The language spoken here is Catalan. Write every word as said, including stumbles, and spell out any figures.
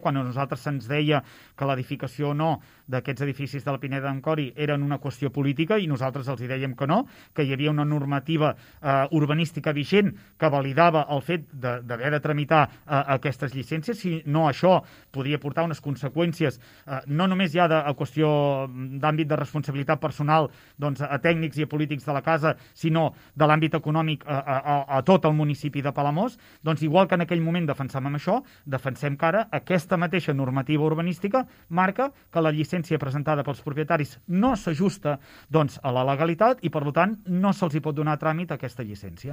quan a nosaltres se'ns deia que l'edificació o no d'aquests edificis de la Pineda d'Ancori eren una qüestió política i nosaltres els hi dèiem que no, que hi havia una normativa eh, urbanística vigent que validava el fet d'haver de, de tramitar eh, aquestes llicències, si no això podria portar unes conseqüències eh, no només ja de a qüestió d'àmbit de responsabilitat personal doncs, a tècnics i a polítics de la casa, sinó de l'àmbit econòmic a, a, a tot el municipi de Palamós, doncs igual que en aquell moment defensàvem això, defensem que ara aquesta mateixa normativa urbanística marca que la llicència presentada pels propietaris no s'ajusta doncs, a la legalitat i, per tant, no se'ls hi pot donar tràmit a aquesta llicència.